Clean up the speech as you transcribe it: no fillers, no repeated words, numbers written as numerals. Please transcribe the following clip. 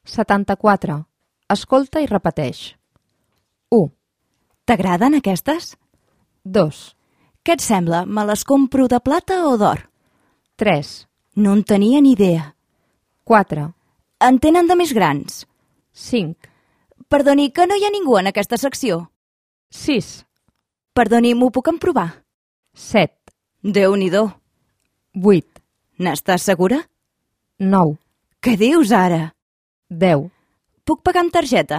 74. Escolta i repeteix. 1, T'agraden aquestes? 2, Què et sembla? Me les compro de plata o d'or? 3, No en tenia ni idea. 4, En tenen de més grans? 5, Perdoni, que no hi ha ningú en aquesta secció. 6, Perdoni, m'ho puc emprovar? 7, Déu-n'hi-do. 8, N'estàs segura? 9, Què dius ara? 10. Puc pagar amb targeta?